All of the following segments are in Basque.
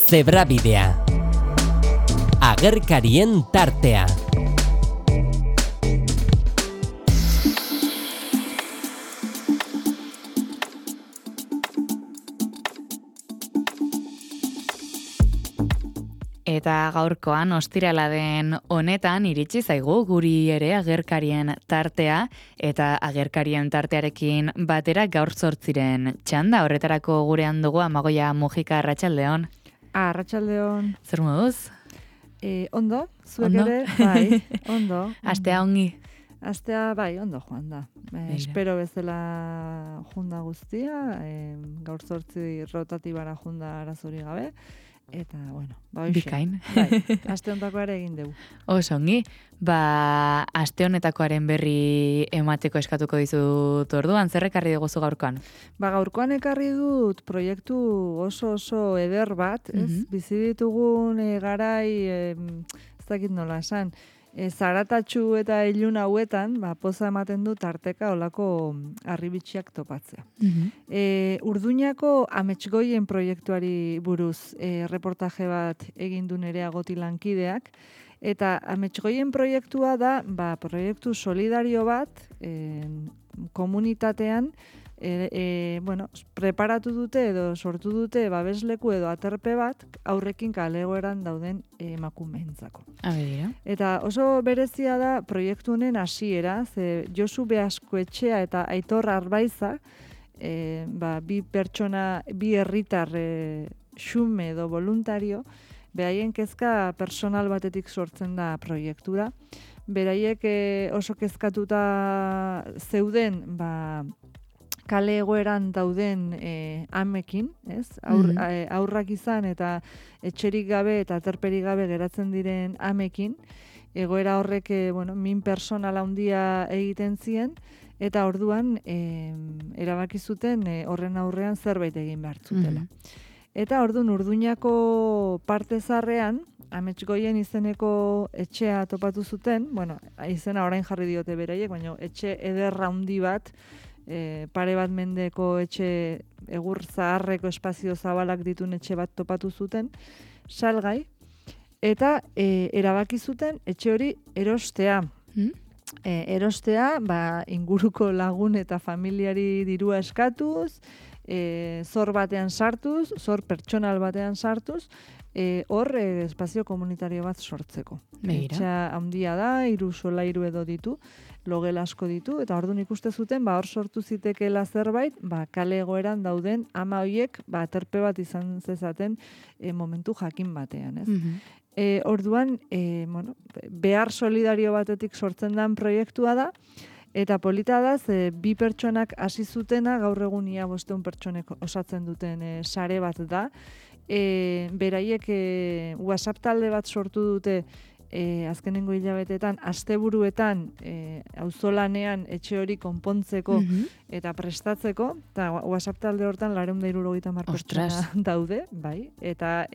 Zebrabidea. Agerkarien tartea. Eta gaurkoan ostirala den honetan iritsi zaigu guri ere agerkarien tartea eta agerkarien tartearekin batera gaur 8 txanda. Horretarako gurean dugu Amagoia Mujika, arratsaldeon. Arratsaldeon. Zer moduz? Ondo, zuek ere, bai, ondo. Astea ongi. Astea, bai, ondo joan da. Espero bezala junda guztia, gaur 8 rotatibara junda arazori gabe. Eta, bueno, hoxe. Bikain. Bai, aste honetako ere egin dugu. Oso ongi. Aste honetakoaren berri emateko eskatuko dizut orduan, zer ekarri diguzu gaurkoan? Gaurkoan ekarri dut proiektu oso eder bat, ez? Bizi ditugun garai, ez dakit nola esan, zaratatxu eta ilun hauetan, poza ematen du tarteka olako harribitxiak topatzea. Urduñako Ametsgoien proiektuari buruz reportaje bat egin du Nerea Goti lankideak, eta Ametsgoien proiektua da, proiektu solidario bat komunitatean preparatu dute edo sortu dute babesleku edo aterpe bat aurrekin kale egoeran dauden emakumeentzako. Eta oso berezia da proiektu honen hasiera, ze Josu Beaskoetxea eta Aitor Arbaiza, bi pertsona, bi herritar xume edo voluntario, beraien kezka personal batetik sortzen da proiektura. Beraiek oso kezkatuta zeuden, kale egoeran dauden amekin, ez? Aurrak izan eta etxerik gabe eta aterperik gabe geratzen diren amekin, egoera horrek min personala handia egiten zien, eta orduan erabaki zuten horren aurrean zerbait egin behar zutela. Eta orduan Urduñako parte zarrean, Ametsgoien izeneko etxea topatu zuten, izena orain jarri diote beraiek, baina etxe ederra handi bat, pare bat mendeko etxe egur zaharreko espazio zabalak ditun etxe bat topatu zuten, salgai, eta erabaki zuten etxe hori erostea. Erostea, inguruko lagun eta familiari dirua eskatuz, zor batean sartuz, zor pertsonal batean sartuz, hor espazio komunitario bat sortzeko. Etxea handia da, 3 solairu edo ditu, logel asko ditu, eta orduan ikuste zuten, hor sortu zitekeela zerbait, kale egoeran dauden ama hoiek, aterpe bat izan zezaten momentu jakin batean, ez? Orduan, behar solidario batetik sortzen den proiektua da, eta polita da, bi pertsonak hasi zutena, gaur egunia 500 pertsonek osatzen duten sare bat da. Beraiek WhatsApp talde bat sortu dute azkenengo hilabetetan, asteburuetan auzolanean etxe hori konpontzeko eta prestatzeko, eta WhatsApp talde hortan 470 pertsona daude, bai, eta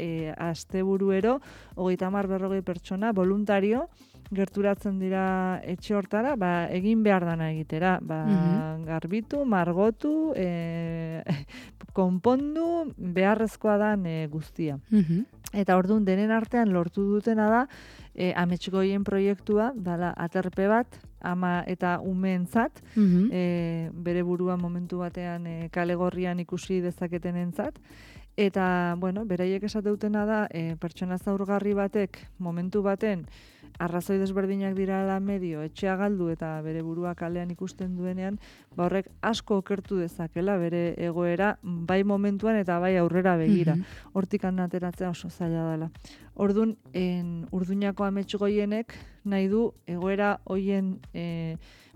asteburuero 30-40 pertsona voluntario gerturatzen dira etxe hortara, egin behar dana egitera, garbitu, margotu, konpondu, beharrezkoa dan guztia. Eta orduan denen artean lortu dutena da, Ametsgoien proiektua, dala aterpe bat, ama eta umeentzat, bere burua momentu batean kale gorrian ikusi dezaketenentzat, eta, beraiek esateutena da, pertsona zaurgarri batek momentu baten arrazoi desberdinak dirala medio, etxea galdu eta bere burua kalean ikusten duenean, horrek asko okertu dezakela bere egoera, bai momentuan eta bai aurrera begira. Hortik ateratzea oso zaila dela. Orduan, Urduñako Ametsgoienek nahi du egoera hoien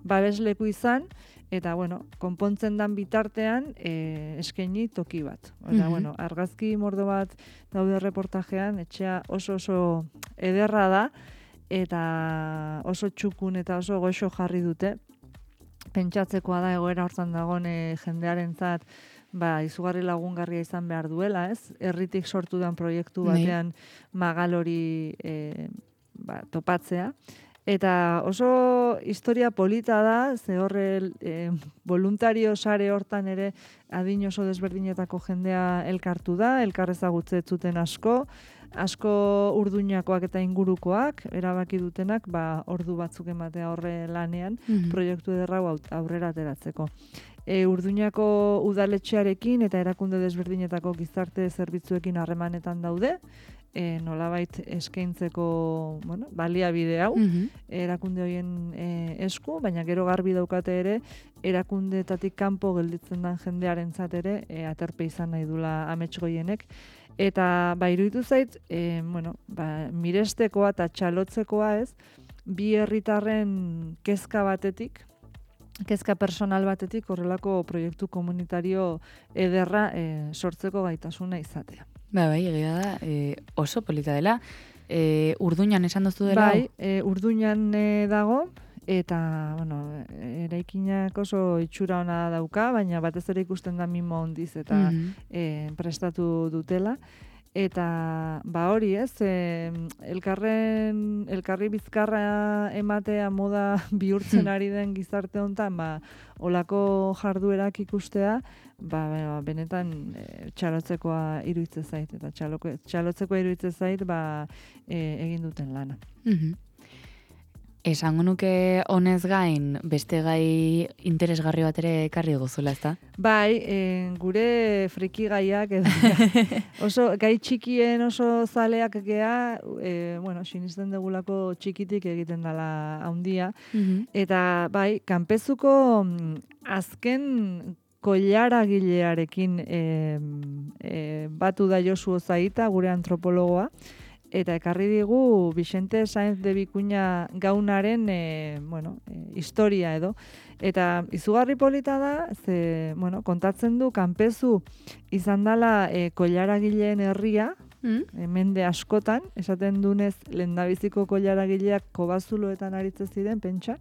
babesleku izan, eta, konpontzen dan bitartean eskaini toki bat. Eta, argazki mordo bat daude reportajean, etxea oso ederra da, eta oso txukun eta oso goxo jarri dute. Pentsatzekoa da egoera hortan dagoen jendearentzat izugarri lagungarria izan behar duela, ez? Herritik sortu den proiektu batean magal hori topatzea. Eta oso historia polita da, ze horre voluntario sare hortan ere adin oso desberdinetako jendea elkartu da, elkarrezagutze zuten asko urduñakoak eta ingurukoak, erabaki dutenak, ordu batzuk ematea horre lanean, proiektu ederra aurrera ateratzeko. Urduñako udaletxearekin eta erakunde desberdinetako gizarte zerbitzuekin harremanetan daude, nolabait eskaintzeko baliabide hau, erakunde horien esku, baina gero garbi daukate ere, erakundeetatik kanpo gelditzen den jendearentzat ere, aterpe izan nahi dula amets goienek, eta iruditu zait, mirestekoa eta txalotzekoa ez, bi herritarren kezka batetik, kezka personal batetik horrelako proiektu komunitario ederra sortzeko gaitasuna izatea. Bai, egia da, oso polita dela. Urduñan esan duzu dela? Bai, Urduñan dago, eta, eraikinak oso itxura ona dauka, baina batez ere ikusten da mimo hondiz eta prestatu dutela. Eta, hori ez, elkarri bizkarra ematea moda bihurtzen ari den gizarte honetan, olako jarduerak ikustea, benetan txalotzekoa iruditzen zait, eta txalotzekoa iruditzen zait, egin duten lana. Esango nuke honez gain, beste gai interesgarri bat ere ekarri gozula, ezta? Bai, gure friki gaiak, oso gai txikien oso zaleak gea, sinisten degulako txikitik egiten dela handia, eta bai, kanpezuko azken koilaragilearekin batu da Josu Ozaita, gure antropologoa, eta ekarri digu Vicente Sáenz de Vicuña gaunaren historia edo. Eta izugarri polita da, kontatzen du kanpezu izan dela koilaragileen herria, mende askotan, esaten dunez lehendabiziko koilaragileak kobazuloetan aritzen ziren, pentsa,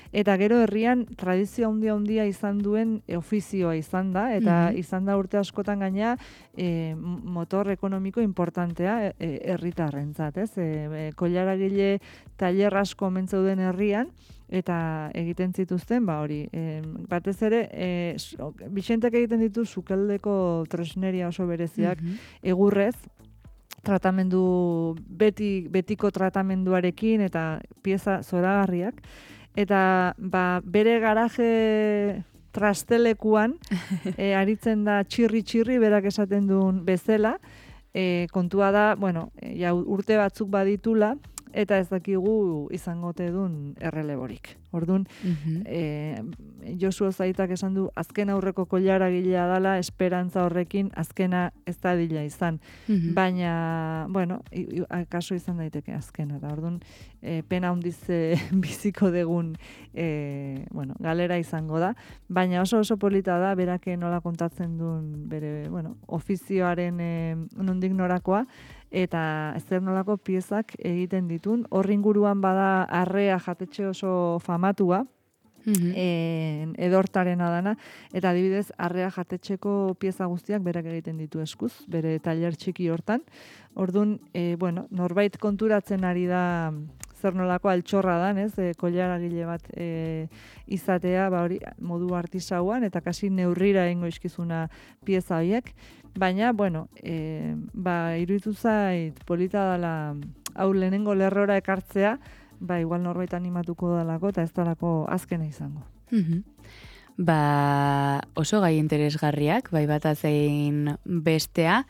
eta gero herrian tradizio handia izan duen ofizioa izan da, eta izan da urte askotan gaina motor ekonomiko importantea herritarrentzat, ez? Koilaragile tailer asko omen zeuden herrian, eta egiten zituzten, batez ere, Vicentek egiten ditu sukaldeko tresneria oso bereziak, egurrez, tratamendu, betiko tratamenduarekin, eta pieza zoragarriak, eta bere garaje trastelekuan aritzen da txirri berak esaten duen bezala, kontua da, urte batzuk baditula, eta ez dakigu izangote duen erreleborik. Orduan, Josu Ozaitak esan du, azken aurreko koilaragilea dela, esperantza horrekin azkena ez da dila izan. Baina, kaso izan daiteke azkena. Orduan, pena handiz biziko degun galera izango da. Baina oso polita da, berake nola kontatzen duen bere ofizioaren nondik norakoa, eta zer nolako piezak egiten ditun. Horri inguruan bada arrea jatetxe oso famatua, edortarena dana, eta adibidez arrea jatetxeko pieza guztiak berak egiten ditu eskuz, bere tailer txiki hortan. Orduan, norbait konturatzen ari da zer nolako altxorra dan, ez, koilaragile bat izatea, hori modu artisauan, eta kasi neurrira egingo izkizuna pieza horiek. Baina, iruditu zait polita dela hau lehenengo lerrora ekartzea, igual norbait animatuko dalako, eta ez dalako azkena izango. Oso gai interesgarriak, bata zein bestea,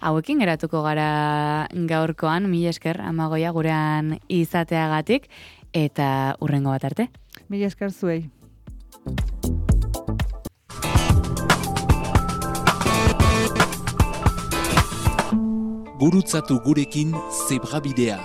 hauekin geratuko gara gaurkoan, mila esker Amagoia gurean izateagatik, eta hurrengo bat arte. Mila esker zuei. Gurutzatu gurekin Zebrabidea.